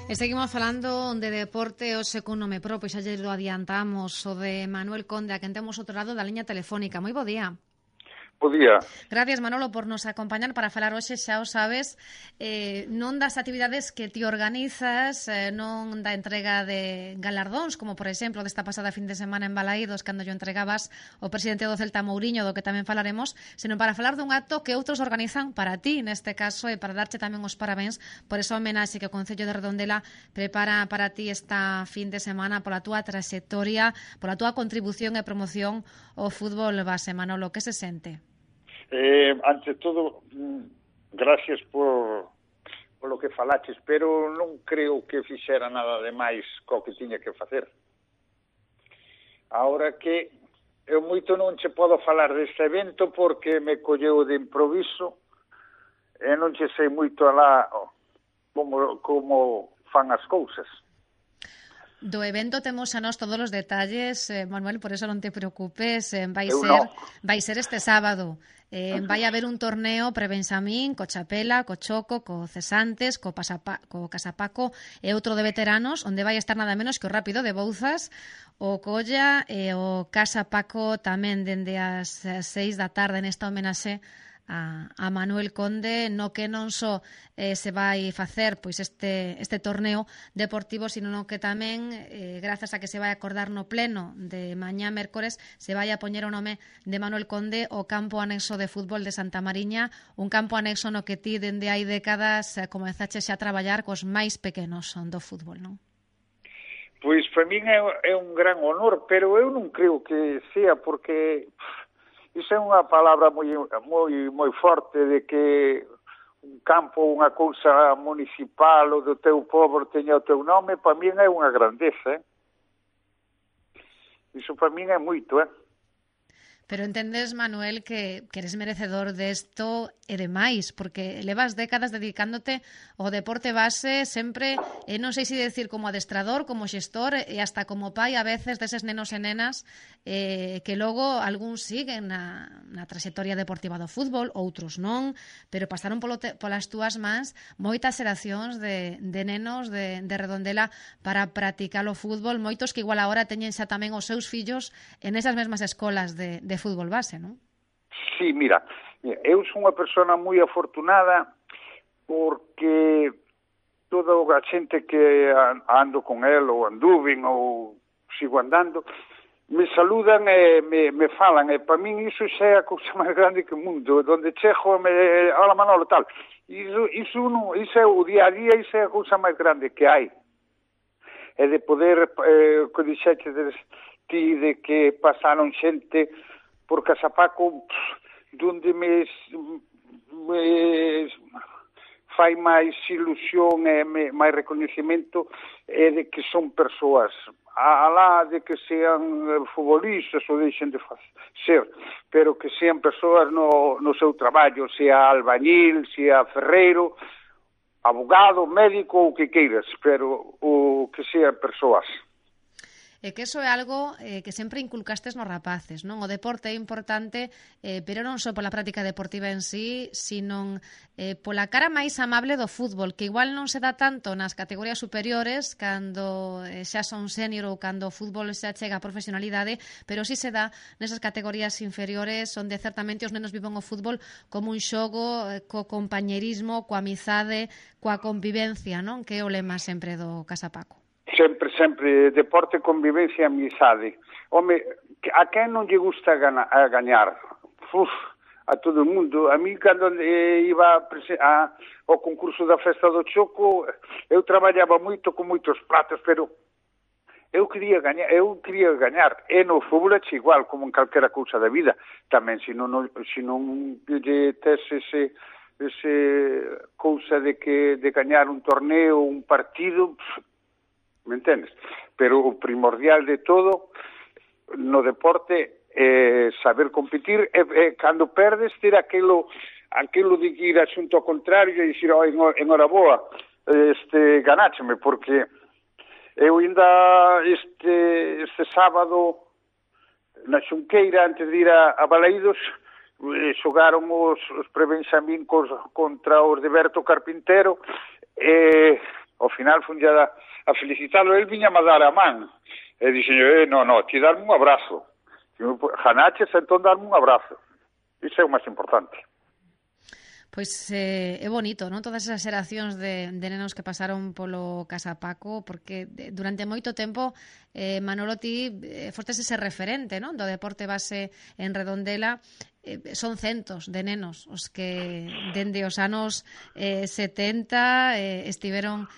E seguimos falando de deporte hoxe cun nome propio, xa lle lo adiantamos, o de Manuel Conde, a quen temos outro lado da liña telefónica. Moi bo día. Bo día. Gracias, Manolo, por nos acompañar para falar hoxe, xa o sabes, non das actividades que ti organizas, non da entrega de galardóns, como por exemplo desta pasada fin de semana en Balaídos, cando yo entregabas o presidente do Celta Mouriño, do que tamén falaremos, senón para falar dun acto que outros organizan para ti, neste caso, e para darche tamén os parabéns por esa homenaxe que o Concello de Redondela prepara para ti esta fin de semana pola túa trayectoria, pola túa contribución e promoción ao fútbol base. Manolo, que se sente? Ante todo, gracias por lo que falaches, pero non creo que fixera nada de máis co que tiña que facer. Ahora que eu moito non che podo falar deste evento porque me colleu de improviso e non che sei moito alá como fan as cousas. Do evento temos a nós todos os detalles, Manuel, por eso non te preocupes, vai ser este sábado. Vai haber un torneo pre-Benxamín, co Chapela, co Choco, co Cesantes, co Casapaco e outro de veteranos, onde vai estar nada menos que o Rápido de Bouzas, o Colla e o Casapaco tamén dende as 6 da tarde nesta homenaxe a Manuel Conde, no que non só se vai facer pois este torneo deportivo, sino no que tamén, grazas a que se vai acordar no pleno de mañá mércores, se vai a poñer o nome de Manuel Conde o campo anexo de fútbol de Santa Mariña, un campo anexo no que ti dende hai décadas comezaches a traballar cos máis pequenos do fútbol, non? Pois para min é un gran honor, pero eu non creo que sea porque iso é unha palabra moi forte de que un campo, unha cousa municipal ou do teu pobo teña o teu nome, para min é unha grandeza, Iso para min é moito, Pero entendes, Manuel, que eres merecedor desto e demais, porque levas décadas dedicándote ao deporte base sempre, non sei se decir como adestrador, como xestor e hasta como pai a veces deses nenos e nenas que logo algúns siguen na traxectoria deportiva do fútbol, outros non, pero pasaron polas túas mans moitas xeracións de nenos de Redondela para practicar o fútbol, moitos que igual agora teñen xa tamén os seus fillos en esas mesmas escolas de fútbol base, non? Sí, mira, eu son unha persona moi afortunada porque toda a xente que ando con el ou anduven ou sigo andando me saludan e me falan e para min iso xa é a cousa máis grande que o mundo, donde chego hola Manolo, tal, iso é o día a día, iso é a cousa máis grande que hai, e de poder que dixeche ti de que pasaron xente por Casapaco donde me fai máis ilusión e máis recoñecemento é de que son persoas alá de que sean futbolistas ou deixen de ser, pero que sean persoas no seu traballo, sea albañil, sea ferreiro, abogado, médico, o que queiras, pero o que sean persoas. E que iso é algo que sempre inculcastes nos rapaces, non? O deporte é importante, pero non só pola práctica deportiva en sí, sino pola cara máis amable do fútbol, que igual non se dá tanto nas categorías superiores, cando xa son senior ou cando o fútbol xa chega a profesionalidade, pero sí se dá nesas categorías inferiores, onde certamente os nenos viven o fútbol como un xogo, co compañerismo, coa amizade, coa convivencia, non? Que é o lema sempre do Casapaco. Sempre, deporte, convivencia e amizade. Home, a quen non lle gusta gañar? A todo o mundo. A mí, cando iba ao concurso da Festa do Choco, eu traballaba moito con moitos pratos, pero eu quería gañar. E no fútbol é igual, como en calquera cousa da vida. Tamén, se non lle tes ese cousa de gañar un torneo, un partido, me entendes? Pero o primordial de todo no deporte é saber competir e cando perdes ter aquilo de ir a xunto ao contrario e dicir, enhoraboa, ganácheme, porque eu ainda este sábado na Xunqueira, antes de ir a Balaídos, xogaron os pre-Benxamín contra os de Berto Carpintero e Ao final fun a felicitalo, el viña a dar a man. E dixen, no, ti darme un abrazo. Janaches, entón darme un abrazo. Iso é o máis importante. Pois é bonito, non? Todas esas xeracións de nenos que pasaron polo Casa Paco, porque durante moito tempo Manolo, ti fostes ese referente, non? Do deporte base en Redondela. Son centos de nenos os que dende os anos 70 estiveron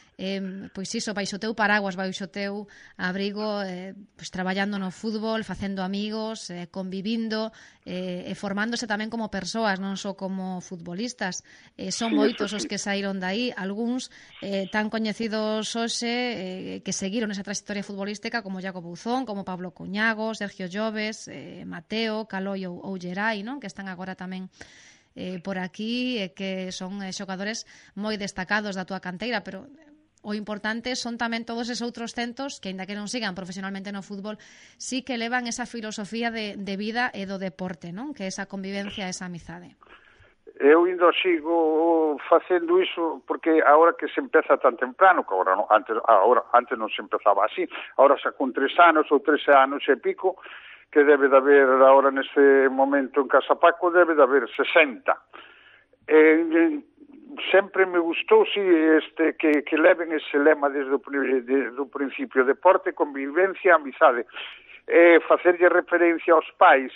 pois iso, baixo teu paraguas, baixo teu abrigo, pois traballando no fútbol, facendo amigos, convivindo e formándose tamén como persoas, non só como futbolistas. Son moitos os que saíron daí, algúns tan coñecidos hoxe que seguiron esa trayectoria futbolística como Iago Bouzón, como Pablo Cuñago, Sergio Lloves, Mateo, Caloi ou Gerai, non? Que están agora tamén por aquí, que son xogadores moi destacados da túa canteira, pero o importante son tamén todos esos outros centos que, aínda que non sigan profesionalmente no fútbol, sí que levan esa filosofía de vida e do deporte, non? Que esa convivencia, esa amizade. Eu indo sigo facendo iso porque agora que se empeza tan temprano, que agora non, antes non se empezaba así, agora xa con 3 anos ou 13 anos e pico, que debe de haber agora neste momento en Casa Paco, debe de haber 60. Sempre me gustou que leven ese lema desde o principio: deporte, convivencia, amizade. Facerlle referencia aos pais.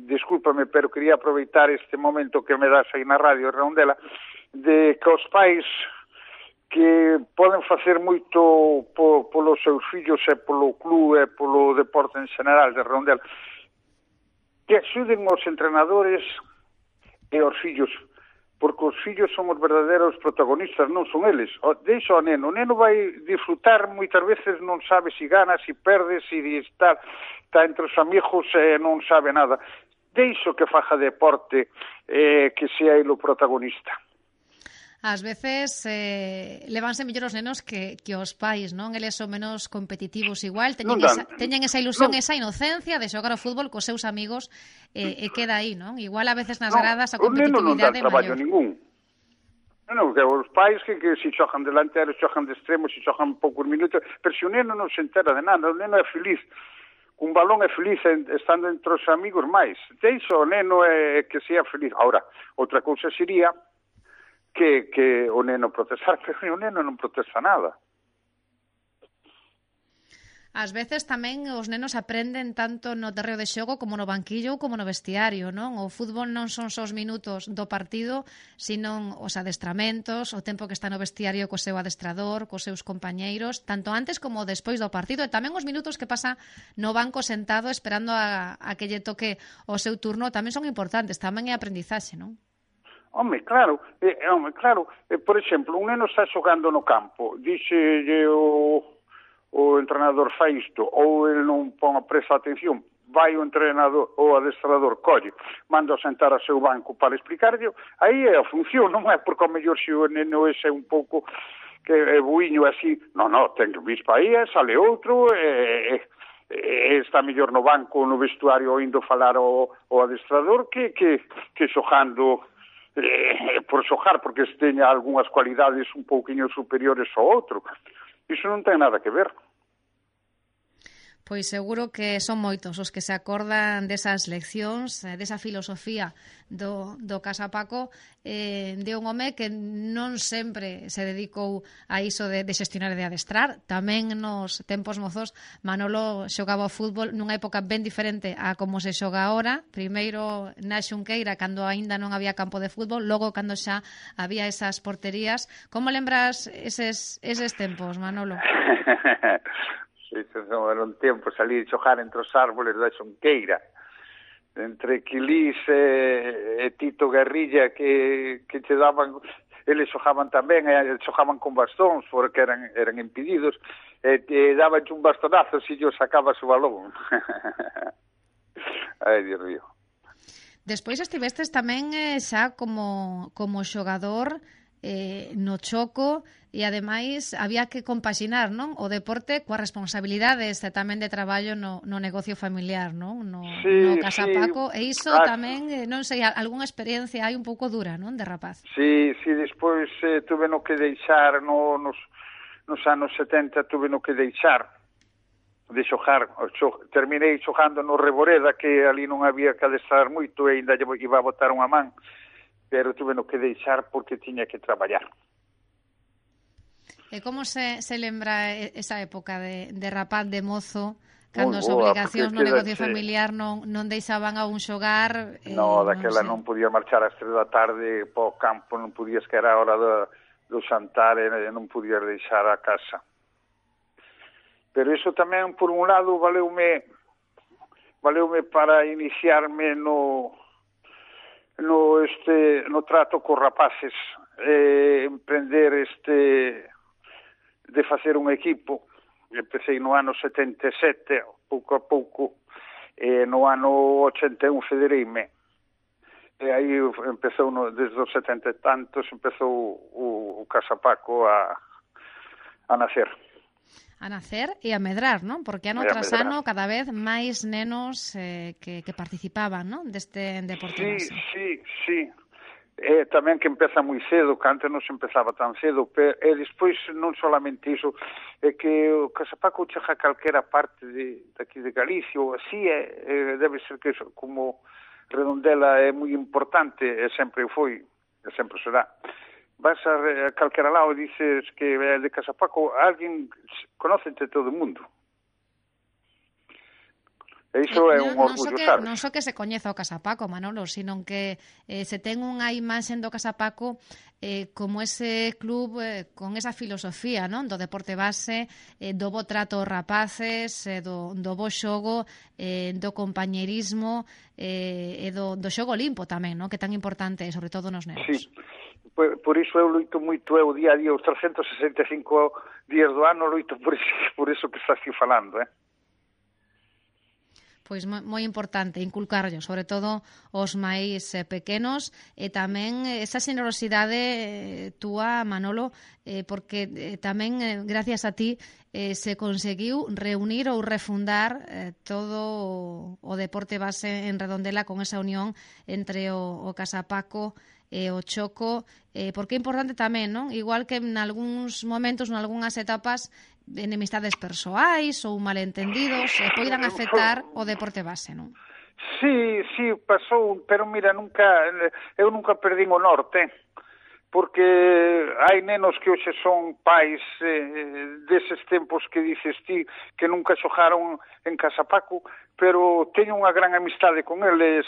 Discúlpame, pero quería aproveitar este momento que me das aí na radio Redondela, de que os pais que poden facer moito polos seus fillos e polo club e polo deporte en general de Redondela, que axuden os entrenadores e os fillos, porque os fillos son os verdadeiros protagonistas, non son eles. Deixa o neno vai disfrutar, moitas veces non sabe se gana, se perde, se está entre os amigos e non sabe nada. Deixo que faja deporte, que sea ele o protagonista. Ás veces levanse mellor os nenos que os pais, non? Eles son menos competitivos igual, teñen esa ilusión, esa inocencia de xogar ao fútbol cos seus amigos e queda aí, non? Igual a veces nas gradas a competitividade é maior. Ningún. Non, que os pais que se xogan delanteros, xogan de extremos, se xogan poucos minutos, pero se o neno non se entera de nada, o neno é feliz. Un balón é feliz estando entre os amigos máis. Deixo o neno que sea feliz. Ahora, outra cousa sería que o neno protestar, pero o neno non protesta nada. Ás veces tamén os nenos aprenden tanto no terreo de xogo como no banquillo ou como no vestiario, non? O fútbol non son só os minutos do partido, sino os adestramentos, o tempo que está no vestiario co seu adestrador, cos seus compañeiros, tanto antes como despois do partido, e tamén os minutos que pasa no banco sentado esperando a que lle toque o seu turno tamén son importantes, tamén é aprendizaxe, non? Home, claro. Por exemplo, un neno está xogando no campo, díxelle o entrenador fai isto, ou ele non pon a presa atención, vai o entrenador ou adestrador, colle, manda a sentar a seu banco para explicarlle, aí é a función, non é porque ao mellor se o neno ese é un pouco que é buiño así, non, ten que vir para aí, sale outro, está mellor no banco, no vestuario, indo falar ao adestrador que xogando por xogar, porque se teña algunhas cualidades un pouquiño superiores ao outro. Iso non ten nada que ver. Pois seguro que son moitos os que se acordan desas leccións, desa filosofía do Casa Paco, de un home que non sempre se dedicou a iso de xestionar e de adestrar. Tamén nos tempos mozos Manolo xogaba ao fútbol nunha época ben diferente a como se xoga agora. Primeiro na Xunqueira, cando aínda non había campo de fútbol, logo cando xa había esas porterías. Como lembras eses tempos, Manolo? Eran tempos ali de xogar entre os árboles da Xunqueira, entre Quilís e Tito Guerrilla, que che daban, eles xogaban tamén, xogaban con bastóns porque eran impedidos, e daban un bastonazo se yo sacabas o balón. Ai, Dios mío. Despois estivestes tamén xa como xogador no Choco, e ademais había que compaxinar, non, o deporte coas responsabilidades tamén de traballo no negocio familiar, non, no Casa Paco, e iso tamén, non sei, algunha experiencia hai un pouco dura, non, de rapaz. Sí, despois tuve no que deixar nos anos 70, tuve no que deixar de xogar, terminei xogando no Reboreda, que ali non había que adestrar moito e ainda iba a botar unha man, pero tuve no que deixar porque tiña que traballar. E como se lembra esa época de rapaz, de mozo, cando as obligacións no negocio familiar non deixaban a un xogar? Daquela non podía marchar ás 3 da tarde para o campo, non podías, que era a hora do xantar, e non podías deixar a casa. Pero iso tamén, por un lado, valeume para iniciarme no trato cos rapaces, emprender de facer un equipo. Empecé no ano 77, pouco a pouco, e no ano 81 federeime. E aí empezou, desde os 70 e tantos, empezou o Casa Paco a nacer. A nacer e a medrar, non? Porque ano tras ano cada vez máis nenos que participaban, non? Deste deporte base. Sí. Tamén que empeza moi cedo, que antes non se empezaba tan cedo, e despois non solamente iso, é que o Casa Paco chega a calquera parte daqui de Galicia, ou así, debe ser que como Redondela é moi importante, e sempre foi, e sempre será. Vas a calquera lado e dices que é de Casa Paco, alguén conócete todo o mundo. E iso é un orgullo, sabes? Non só que se coñeza o Casa Paco, Manolo, sino que se ten unha imaxe do Casa Paco como ese club con esa filosofía, non, do deporte base, do bo trato aos rapaces, do bo xogo, do compañerismo e do xogo limpo tamén, non, que tan importante é, sobre todo nos nenos. Sí. Por iso eu loito moito, o día a día, os 365 días do ano, loito por iso que estás aquí falando, Pois moi importante inculcarlo, sobre todo os máis pequenos, e tamén esa xenerosidade túa, Manolo, porque tamén gracias a ti se conseguiu reunir ou refundar todo o deporte base en Redondela con esa unión entre o Casa Paco e o Choco, porque é importante tamén, non? Igual que en algúns momentos, en algunhas etapas, enemistades persoais ou malentendidos poidan afectar o deporte base, non? Sí, pasou, pero mira, eu nunca perdín o norte, porque hai nenos que hoxe son pais deses tempos que dices ti, que nunca xogaron en Casa Paco, pero teño unha gran amistade con eles,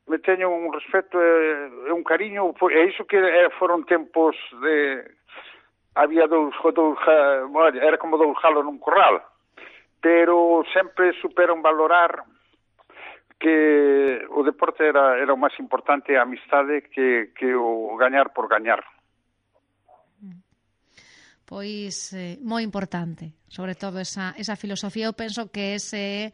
me teño un respeto e un cariño, e iso que foron tempos había era como dous galos nun corral, pero sempre superan valorar que o deporte era o máis importante, a amistade, que o gañar por gañar. Pois moi importante, sobre todo esa filosofía. Eu penso que ese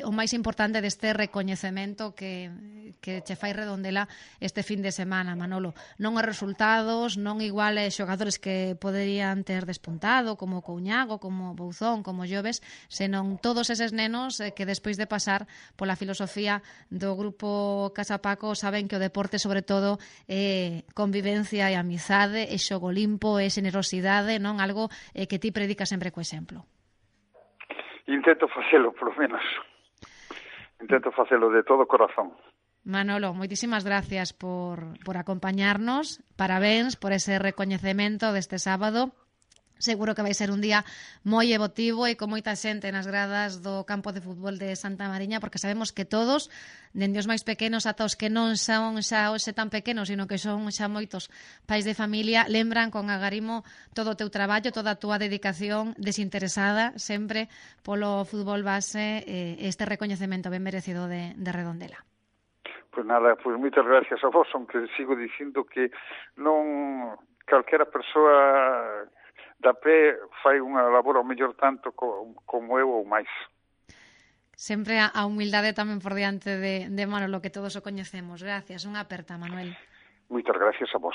o máis importante deste recoñecemento que che fai Redondela este fin de semana, Manolo. Non os resultados, non igual xogadores que poderían ter despuntado, como Couñago, como Bouzón, como Lloves, senón todos eses nenos que despois de pasar pola filosofía do grupo Casa Paco saben que o deporte, sobre todo, é convivencia e amizade, é xogo limpo, é xenerosidade, non algo que ti predicas sempre co exemplo. Intento facelo, polo menos. Intento facelo de todo corazón. Manolo, moitísimas gracias por acompañarnos. Parabéns por ese recoñecemento deste sábado. Seguro que vai ser un día moi emotivo e con moita xente nas gradas do campo de fútbol de Santa Mariña, porque sabemos que todos, dende os máis pequenos ata os que non son xa hoxe tan pequenos, sino que son xa moitos pais de familia, lembran con agarimo todo o teu traballo, toda a túa dedicación desinteresada sempre polo fútbol base, este recoñecemento ben merecido de Redondela. Pois nada, pois moitas gracias a vos, aunque sigo dicindo que non calquera persoa da pé fai unha labor ao mellor tanto como eu ou máis. Sempre a humildade tamén por diante de Manolo, que todos o coñecemos. Gracias, unha aperta, Manuel. Moitas gracias a vos.